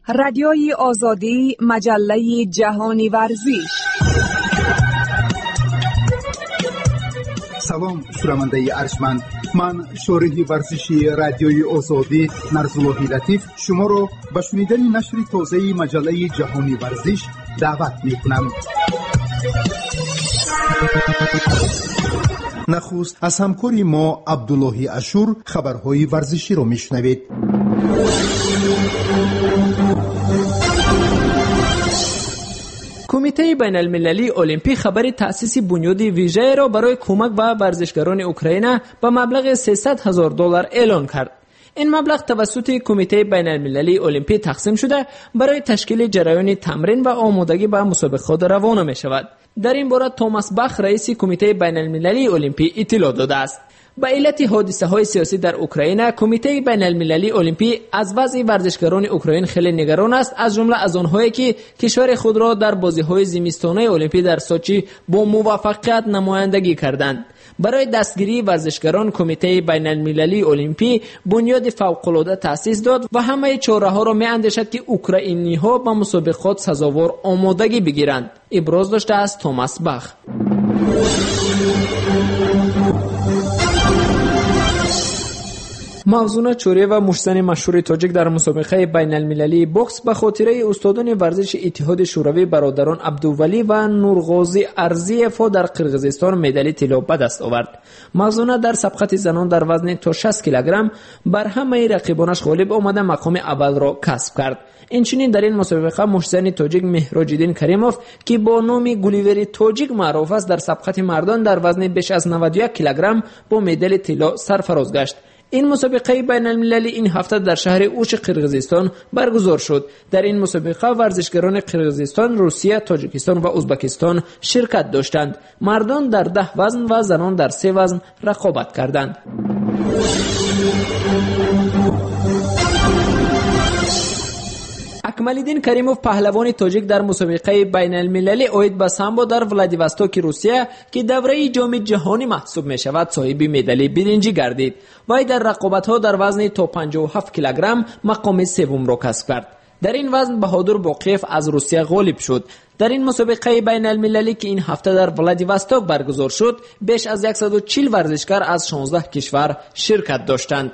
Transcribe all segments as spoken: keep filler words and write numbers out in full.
Радиои Озодӣ, маҷаллаи ҷаҳони варзиш. Салом, шунавандаи арҷманд. Ман шориҳи варзиши Радиои Озодӣ Нарзуллоҳи Латиф шуморо ба шунидани нашри тозаи маҷаллаи ҷаҳони варзиш даъват мекунам. Нахуст аз ҳамкори мо Абдуллоҳи Ашур хабарҳои варзиширо мешунавед. Кумитаи байналмилалии Олимпӣ хабари таъсиси бунёди вижаеро барои кӯмак ба варзишгарони Украина ба маблағи сесад ҳазор доллар эълон кард. Ин маблағ тавассути Кумитаи байналмилалии Олимпӣ тақсим шуда барои ташкили ҷараёни тамрин ва омодагӣ ба мусобиқот равона мешавад. Дар ин бора Томас Бах, раиси Кумитаи байналмилалии Олимпӣ, иттилоъ додааст. Ба иллати ҳодисаҳои сиёсӣ дар Украина, Кумитаи байналмилалии Олимпӣ аз вазъи варзишгарони Украин хеле нигарон аст, аз ҷумла аз онҳое ки кишвари худро дар бозиҳои зимистонаи Олимпӣ дар Сочи бо муваффақият намояндагӣ карданд. Барои дастгирии варзишгарон Кумитаи байналмилалии Олимпӣ бунёди фавқулода таъсис дод ва ҳамаи чораҳоро меандешад, ки украиниҳо ба мусобиқот сазовор омодагӣ бигиранд, иброз доштааст Томас Бах. Мавзуна Чӯриева, муштзани машҳури тоҷик, дар мусобиқаи байналмилалии бокс ба хотираи устодони варзиши Иттиҳоди Шӯравӣ бародарон Абдувалӣ ва Нурғозӣ Арзиевҳо дар Қирғизистон медали тилло ба даст овард. Мавзуна дар сабқати занон дар вазни то шаст килограмм бар ҳамаи рақибонаш ғолиб омада мақоми аввалро касб кард. Инчунин дар ин мусобиқа муштзани тоҷик Меҳроҷиддин Каримов, ки бо номи Гуливери тоҷик маъруф аст, дар сабқати мардон дар вазни беш аз наваду як килограмм бо медали тилло сарфароз гашт. Ин мусобиқаи байналмилалӣ ин ҳафта дар шаҳри Уши Қирғизистон баргузор шуд. Дар ин мусобиқа варзишгарони Қирғизистон, Русия, Тоҷикистон ва Узбакистон ширкат доштанд. Мардон дар даҳ вазн ва занон дар се вазн рақобат карданд. Акмалиддин Каримов, паҳлавони тоҷик, дар мусобиқаи байналмилалӣ оид ба самбо дар Владивостоки Русия, ки давраи ҷоми ҷаҳонӣ маҳсуб мешавад, соҳиби медали биринҷӣ гардид. Вай дар рақобатҳо дар вазни то панҷоҳу ҳафт килограмм мақоми севумро касб кард. Дар ин вазн Баҳодур Боқиев аз Русия ғолиб шуд. Дар ин мусобиқаи байналмилалӣ, ки ин ҳафта дар Владивосток баргузор шуд, беш аз яксаду чил варзишгар аз шонздаҳ кишвар ширкат доштанд.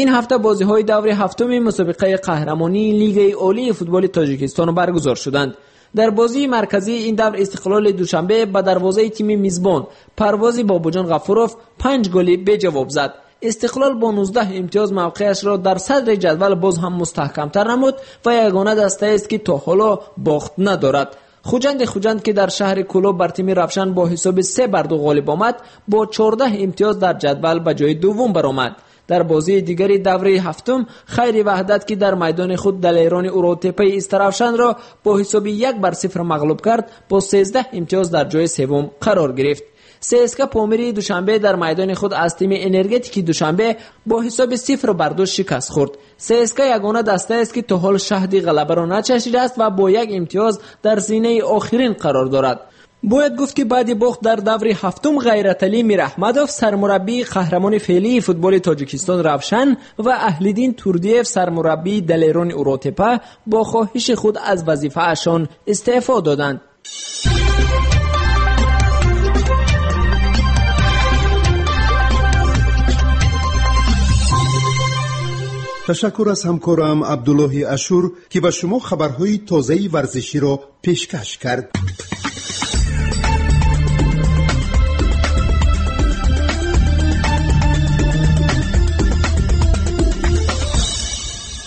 Ин ҳафта бозиҳои даври ҳафтуми мусобиқаи қаҳрамонии Лигаи Олии футболи Тоҷикистон баргузор шуданд. Дар бозии марказии ин давр Истиқлоли Душанбе ба дарвозаи тими мизбон Парвози Бобоҷон Ғафуров панҷ голи беҷавоб зад. Истиқлол бо нуздаҳ имтиёз мавқеашро дар садри ҷадвал боз ҳам мустаҳкамтар намуд ва ягона дастаест, ки то ҳоло бохт надорад. Хуҷанди Хуҷанд, ки дар шаҳри Кӯлоб бар тими Равшан бо ҳисоби се бар ду ғолиб омад, бо чордаҳ имтиёз дар ҷадвал ба ҷои дуввум баромад. Дар бозии дигари давраи ҳафтум Хайри Ваҳдат, ки дар майдони худ далерони Уротепаи Истаравшанро бо ҳисоби як бар сифр мағлуб кард, бо сездаҳ имтиёз дар ҷои севум қарор гирифт. ЦСКА Помири Душанбе дар майдони худ аз тими Энергетики Душанбе бо ҳисоби сифр бар ду шикаст хӯрд. ЦСКА ягона дастаест, ки то ҳол шаҳди ғалабаро начашидааст ва бо як имтиёз дар зинаи охирин қарор дорад. Бояд гуфт, ки баъди бохт дар даври ҳафтум Ғайраталӣ Мираҳмадов, сармураббии қаҳрамони феълии футболи Тоҷикистон Равшан, ва Аҳлиддин Турдиев, сармураббии далерони Уротепа, бо хоҳиши худ аз вазифаашон истеъфо доданд. Ташаккур аз ҳамкорам Абдуллоҳи Ашур, ки ба шумо хабарҳои тозаи варзиширо пешкаш кард.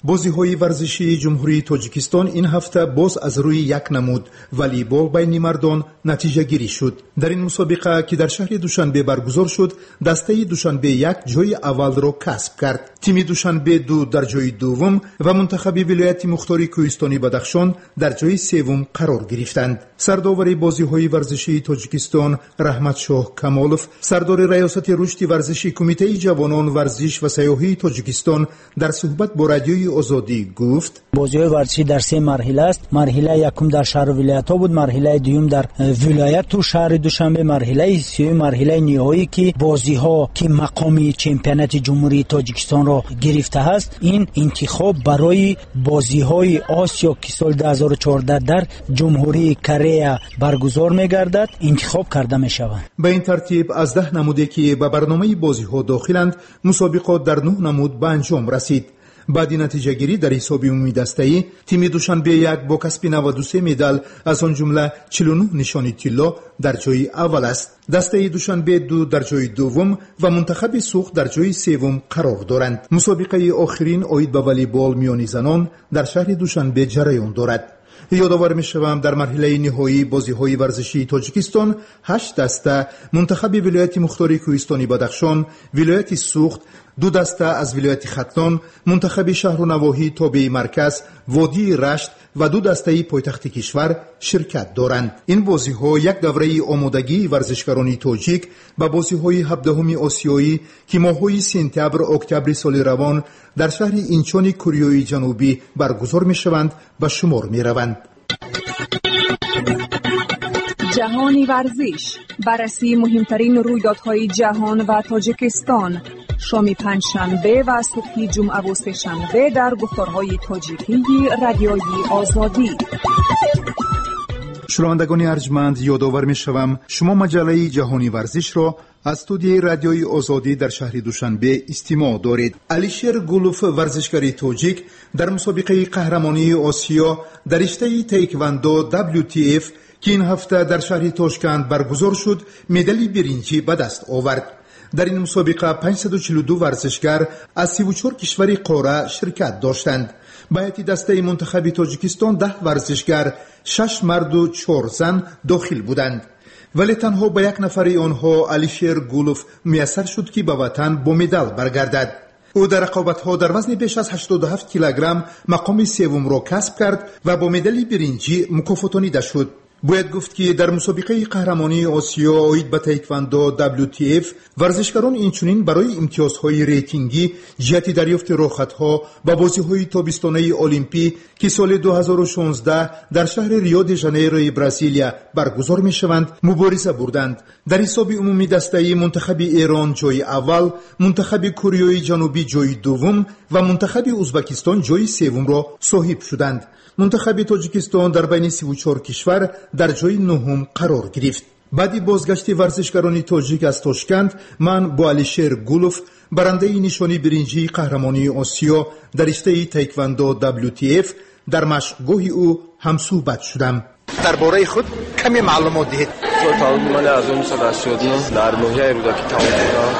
Бозиҳои варзишии Ҷумҳурии Тоҷикистон ин ҳафта боз аз рӯи як намуд волейбол байни мардон натиҷагирӣ шуд. Дар ин мусобиқа, ки дар шаҳри Душанбе баргузор шуд, дастаи Душанбе як ҷои аввалро касб кард. Тими Душанбе ду дар ҷои дуввум ва мунтахаби вилояти мухтори Кӯҳистони Бадахшон дар ҷои севум қарор гирифтанд. Сардовари бозиҳои варзишии Тоҷикистон Раҳматшоҳ Камолов, сардори раёсати рушди варзиши Кумитаи ҷавонон, варзиш ва сайёҳии Тоҷикистон дар суҳбат бо Радиои Озодӣ гуфт: Бозиҳои варзишӣ дар се марҳила аст. Марҳилаи якум дар шаҳру вилоятҳо буд, марҳилаи дуюм дар вилояту шаҳри Душанбе, марҳилаи сеюм марҳилаи ниҳоӣ, ки бозиҳо ки мақоми чемпионати Ҷумҳурии Тоҷикистонро гирифтааст, ин интихоб барои бозиҳои Осиё, ки соли ду ҳазору чордаҳ дар Ҷумҳурии Корея баргузор мегардад, интихоб карда мешаванд. Ба ин тартиб аз даҳ намуде, ки ба барномаи бозиҳо дохиланд, мусобиқот дар нӯҳ намуд ба анҷом расид. Баъди натиҷагирӣ дар ҳисоби умумии дастаӣ тими Душанбе як бо касби наваду се медал, аз он ҷумла чилу нӯҳ нишони тилло, дар ҷои аввал аст. Дастаи Душанбе ду дар ҷои дуввум ва мунтахаби Суғд дар ҷои севум қарор доранд. Мусобиқаи охирин оид ба волейбол миёни занон дар шаҳри Душанбе ҷараён дорад. Ёдовар мешавам, дар марҳилаи ниҳоии бозиҳои варзишии Тоҷикистон ҳашт даста мунтахаби вилояти мухтори Кӯҳистони Бадахшон, вилояти Суғд, ду даста аз вилояти Хатлон, мунтахаби шаҳру навоҳии тобеи марказ, водии Рашт ва ду дастаи пойтахти кишвар ширкат доранд. Ин бозиҳо як давраи омодагии варзишгарони тоҷик ба бозиҳои ҳабдаҳуми осиёӣ, ки моҳҳои сентябр октябри соли равон дар шаҳри Инчони Кореяи Ҷанубӣ баргузор мешаванд, ба шумор мераванд. Ҷаҳони варзиш, баррасии муҳимтарин рӯйдодҳои ҷаҳон ва Тоҷикистон, шоми панҷшанбе ва субҳи ҷумъаву сешанбе дар гуфторҳои тоҷикии Радиои Озодӣ. Шунавандагони арҷманд, ёдовар мешавам, шумо маҷаллаи Ҷаҳони варзишро аз студияи Радиои Озодӣ дар шаҳри Душанбе истимоъ доред. Алишер Гулов, варзишгари тоҷик, дар мусобиқаи қаҳрамонии Осиё дар риштаи таеквондо W T F, ки ин ҳафта дар шаҳри Тошканд баргузор шуд, медали биринҷӣ ба даст овард. Дар ин мусобиқа панҷсаду чилу ду варзишгар аз сиву чор кишвари қора ширкат доштанд. Ба ҳайати дастаи мунтахаби Тоҷикистон даҳ варзишгар, шаш марду чор зан дохил буданд, вале танҳо ба як нафари онҳо, Алишер Гулов, муяссар шуд, ки ба ватан бо медал баргардад. Ӯ дар рақобатҳо дар вазни беш аз ҳаштоду ҳафт килограмм мақоми севумро касб кард ва бо медали биринҷӣ мукофотонида шуд. Бояд гуфт, ки дар мусобиқаи қаҳрамонии Осиё оид ба таеквондо W T F варзишгарон инчунин барои имтиёзҳои рейтингӣ ҷиҳати дарёфти роҳхатҳо ба бозиҳои тобистонаи Олимпӣ, ки соли ду ҳазору шонздаҳ дар шаҳри Рио де Жанейрои Бразилия баргузор мешаванд, мубориза бурданд. Дар ҳисоби умумии дастаӣ мунтахаби Эрон ҷои аввал, мунтахаби Кореяи Ҷанубӣ ҷои дуввум ва мунтахаби Узбакистон ҷои севумро соҳиб шуданд. Мунтахаби Тоҷикистон дар байни сиву чор кишвар дар ҷои нуҳум қарор гирифт. Баъди бозгашти варзишгарони тоҷик аз Тошканд ман бо Алишер Гулов, барандаи нишони биринҷии қаҳрамонии Осиё дар риштаи таеквондо W T F, дар машқгоҳи ӯ ҳамсӯҳбат шудам. Дар бораи худ каме маълумот диҳед. Соли таваллуди ман ҳазору нӯҳсаду ҳаштоду нӯҳ, дар ноҳияи Рӯдакӣ таваллуд шудам.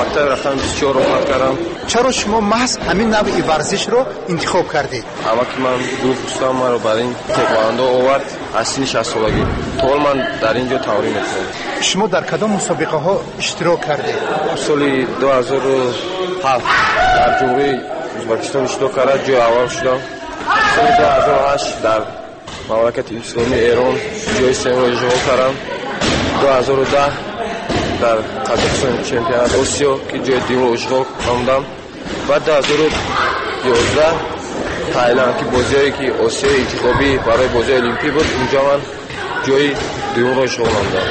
Мактаби рақами бисту чор хатм кардам. Чаро шумо маҳз ҳамин навъи варзишро интихоб кардед? Амаки ман Гулов Рустам маро бар ин таеквондо овард аз синни шастсолагӣ. То ҳол ман дар ин ҷо тамрин мекунам. Шумо дар кадом мусобиқаҳо иштирок кардед? Соли ду ҳазору ҳафт дар Ҷумҳурии Ӯзбекистон иштирок карда, ҷои аввал шудам. Соли ду ҳазору ҳашт дар мамлакати исломии Эрон ҷои сеюмро ишғол кардам. ду ҳазору даҳ дар Қазоқистон чемпионати Осиё, ки ҷои дуюмро ишғол намудам, ва ду ҳазору ёздаҳ Тайланд, ки бозиҳое ки Осиёи интихобӣ барои бозиҳои олимпӣ буд, унҷо ман ҷои дуюмро ишғол намудам,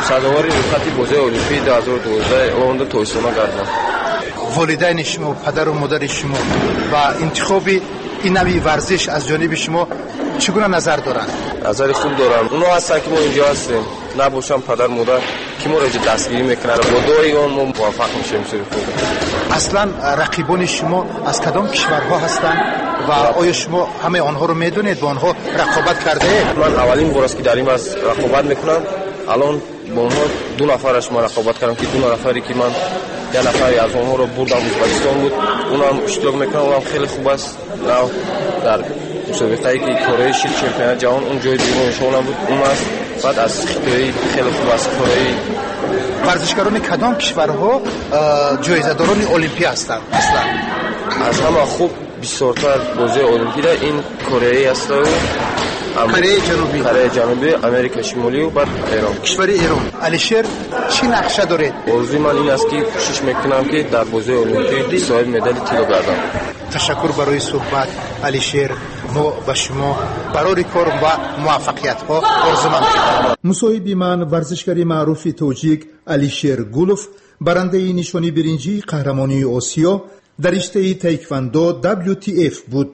сазовори рӯйхати бозиҳои олимпии ду ҳазору дувоздаҳ омада тобистона гардам. Волидайни шумо, падару модари шумо ба интихоби ин навъи варзиш аз ҷониби шумо чӣ гуна назар доранд? Назари хуб доранд. Онҳо ҳастанд, ки мо инҷо ҳастем. Набошам падар модар, ки моро инҷо дастгирӣ мекунанд, бо дуои он мо муваффақ мешавем сури худ. Аслан рақибони шумо аз кадом кишварҳо ҳастанд ва оё шумо ҳамаи онҳоро медонед, бо онҳо рақобат кардаед? Ман аввалин бор аст, ки дар ин вазн рақобат мекунам. Алон бо онҳо ду нафараш ман рақобат кардам, ки ду нафаре ки ман як нафаре аз онҳоро бурдам, Ӯзбекистон буд, унам иштирок мекунам, унам хеле хуб аст. Нав дар мусобиқае ки Корея шид, чемпионати ҷаҳон, он ҷои дуюм ишғол намуд, он аст. Баъд аз Хитоӣ хеле хуб аст, Кореи. Варзишгарони кадом кишварҳо ҷоизадорони олимпӣ ҳастанд аслан? Аз ҳама хуб бисёртар бозиҳои олимпида ин Кореяи асту Кореяи Ҷанубӣ. Кореяи Ҷанубӣ, Америкаи Шимолию баъд Эрон. Кишвари Эрон. Алишер, чӣ нақша доред? Орзуи ман ин аст, ки кӯшиш мекунам, ки дар бозиҳои олимпӣ соҳиби медали тилло гардам. Ташаккур барои суҳбат, Алишер. Мо ба шумо барори кор ва муваффақиятҳо орзумандем. Мусоҳиби ман варзишгари маъруфи тоҷик Алишер Гулов, барандаи нишони биринҷии қаҳрамонии Осиё дар риштаи таеквондо W T F буд.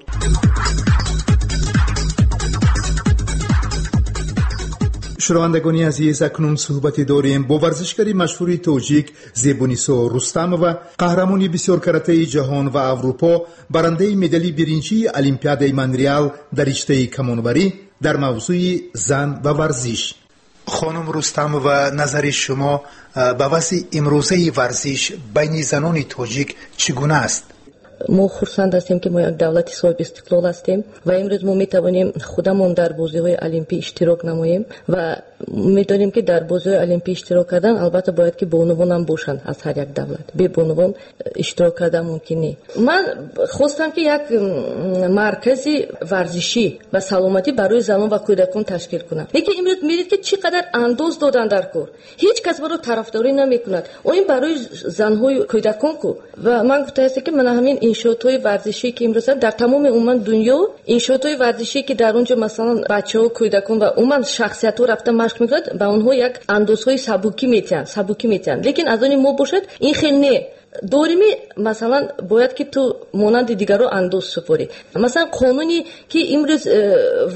Шунавандагони азиз, акнун суҳбате дорем бо варзишгари машҳури тоҷик Зебунисо Рустамова, қаҳрамони бисёркаратаи ҷаҳон ва Аврупо, барандаи медали биринҷии Олимпиадаи Монреал дар риштаи камонварӣ дар мавзӯи зан ва варзиш. Хонум Рустамова, назари шумо ба вазъи имрӯзаи варзиш байни занони тоҷик чӣ гуна аст? Мо хурсанд ҳастем, ки мо як давлати соҳиби истиқлол ҳастем ва имрӯз мо метавонем худамон дар бозиҳои олимпӣ иштирок намоем ва медонем, ки дар бозиҳои олимпӣ иштирок кардан албатта бояд ки бонувон ҳам бошанд аз ҳар як давлат. Бе бонувон иштирок кардан мумкин не. Ман хостам, ки як маркази варзишӣ ва саломатӣ барои занон ва кӯдакон ташкил кунам. Лекин имрӯз мебинед, ки чӣ қадар андоз додан дар кор. Ҳеҷ кас барои тарафдорӣ намекунад. О ин барои занҳои кӯдакон ку. Ва ман гуфтаам, ки ман ҳамин иншоотҳои варзишӣ, ки имрӯз дар тамоми умуман дунё иншоотҳои варзишӣ, ки дар он ҷо масалан бачаҳо, кӯдакон ва умуман шахсиятҳо рафта машқ мекунанд, ба онҳо як андозҳои сабукӣ метиҳанд, сабукӣ метиҳанд. Лекин аз они мо бошад ин хел не. Дорими масалан бояд ки ту монанди дигарро андоз супорӣ. Масалан қонуне ки имрӯз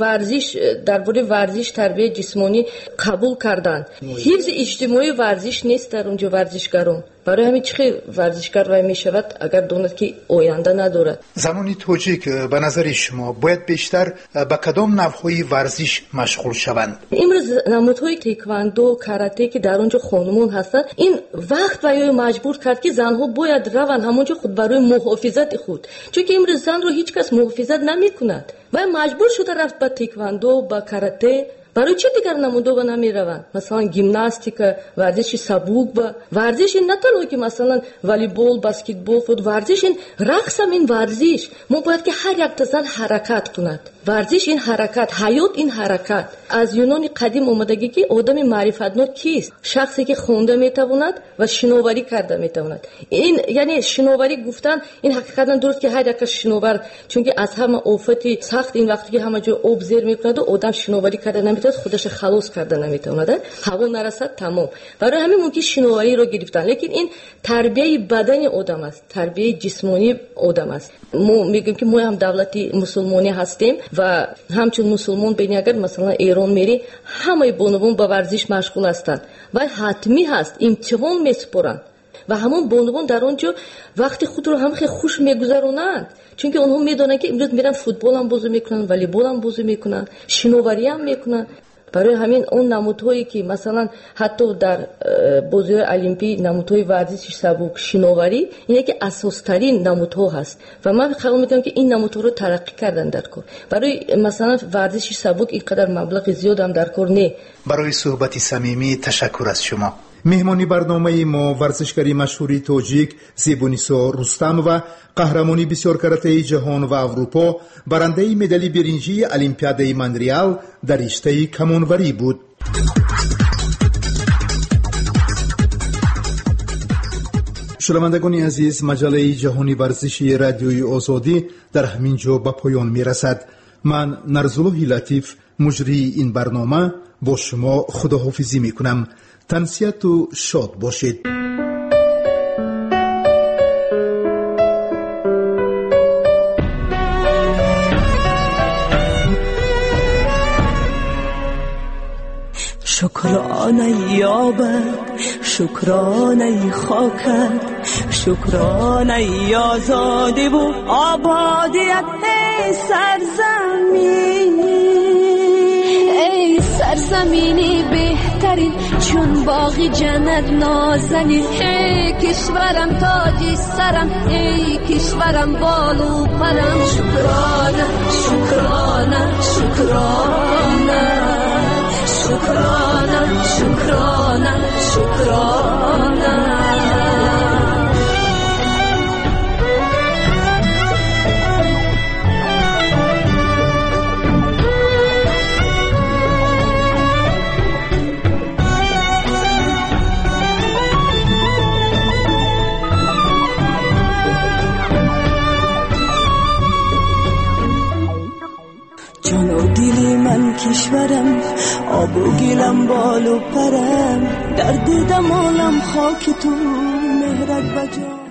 варзиш дар бораи варзиш тарбияи ҷисмонӣ қабул карданд, ҳифзи иҷтимоии варзиш нест дар он ҷо варзишгарон. Барои ҳамин чӣ хел варзишгар вай мешавад, агар донад ки оянда надорад. Занони тоҷик ба назари шумо бояд бештар ба кадом навъҳои варзиш машғул шаванд? Имрӯз намудҳои тэквондо, карате, ки дар он ҷо хонумон ҳастанд, ин вақт вайро маҷбур кард, ки занҳо бояд раванд ҳамон ҷо худ барои муҳофизати худ. Чунки имрӯз занро ҳеҷ кас муҳофизат намекунад. Вай маҷбур шуда рафт ба тэквондо, ба карате. Барои чӣ дигар намудҳо намераванд? Масалан гимнастика, варзиши сабук, ба варзиш ин на танҳо ки масалан волейбол, баскетбол, фут, варзиш ин рақс ҳам ин варзиш. Мо бояд ки ҳар як зан ҳаракат кунад. Варзиш ин ҳаракат, ҳаёт ин ҳаракат. Аз юнони қадим омадагӣ, ки одами маърифатнок кист? Шахсе ки хонда метавонад ва шиноварӣ карда метавонад. Ин яъне шиноварӣ гуфтан ин ҳақиқатан дуруст, ки ҳар як шиновар, чунки аз ҳама офати сахт ин вақте ки ҳама ҷо об зер мекунад, одам шиноварӣ карда наметавонад, худашро халос карда наметавонад, ҳаво нарасад, тамом. Барои ҳамин мумкин шиновариро гирифтан, лекин ин тарбияи бадани одам аст, тарбияи ҷисмонии одам аст. Мо мегӯем, ки мо ҳам давлати мусулмонӣ ҳастем ва ҳамчун мусулмон бини агар масалан Эрон мери, ҳамаи бонувон ба варзиш машғул ҳастанд ва ҳатмӣ ҳаст, имтиҳон месупоранд ва ҳамон бонувон дар он ҷо вақти худро ҳам хеле хуш мегузаронанд, чунки онҳо медонанд, ки имрӯз меранд футбол ҳам бозӣ мекунанд, волейбол ҳам бозӣ мекунанд, шиноварӣ ҳам мекунанд. Барои ҳамин он намудҳое ки масалан ҳатто дар бозиҳои олимпӣ намудҳои варзиши сабук, шиноварӣ, ин яке асостарин намудҳо ҳаст ва ман хаёл мекунам, ки ин намудҳоро тараққӣ кардан дар кор. Барои масалан варзиши сабук ин қадар маблағи зиёд ҳам дар кор не. Барои суҳбати самимӣ ташаккур аз шумо. Меҳмони барномаи мо варзишгари машҳури тоҷик Зебунисо Рустамова, қаҳрамони бисёркаратаи ҷаҳон ва Аврупо, барандаи медали биринҷии Олимпиадаи Монреал дар риштаи камонварӣ буд. Шунавандагони азиз, маҷаллаи ҷаҳони варзиши радиои Озодӣ дар ҳамин ҷо ба поён мерасад. Ман Нарзуллоҳи Латиф, муҷрии ин барнома, бо шумо худоҳофизӣ мекунам. Тансиҳату шод бошед. شکرانه آبت، شکرانه خاکت، شکرانه آزادی و آبادیت ای سرزمین. ای سرزمینی بهترین، چون باغ جنت نازنین، ای کشورم تاج سرم، ای کشورم بال و پرم. شکرانه شکرانه شکرانه شکرانه شکرانه شکرانه. кишварам, обу гилам, болу парам, дар дидам олам хоки ту, меҳрат ба ҷон.